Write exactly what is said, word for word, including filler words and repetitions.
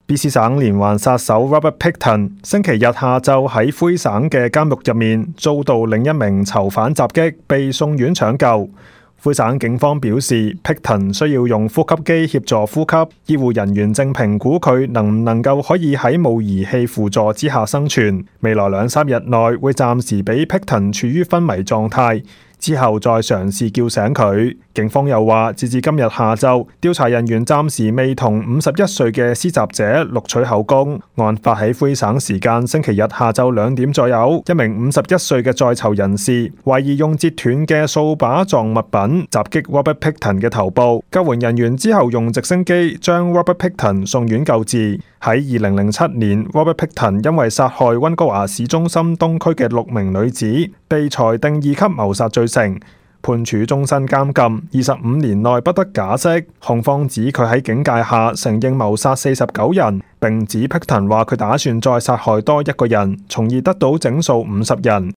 B C 省連環殺手 Robert Pickton 星期日下晝喺魁省嘅監獄入面遭到另一名囚犯襲擊，被送院搶救。魁省警方表示 ，Pickton 需要用呼吸機協助呼吸，醫護人員正評估佢能唔能夠可以喺冇儀器輔助之下生存。未來兩三日內會暫時俾 Pickton 處於昏迷狀態。之後再嘗試叫醒佢。警方又話，截至今日下晝，調查人員暫時未同五十一歲嘅施襲者錄取口供。案發喺魁省時間星期日下晝兩點左右，一名五十一歲嘅在囚人士懷疑用折斷嘅掃把狀物品襲擊 Robert Pickton 嘅頭部。救援人員之後用直升機將 Robert Pickton 送院救治。喺二零零七年 ，Robert Pickton 因為殺害溫哥華市中心東區嘅六名女子，被裁定二級謀殺罪成，判處終身監禁，二十五年內不得假釋。控方指佢喺警戒下承認謀殺四十九人，並指 Pickton 話佢打算再殺害多一個人，從而得到整數五十人。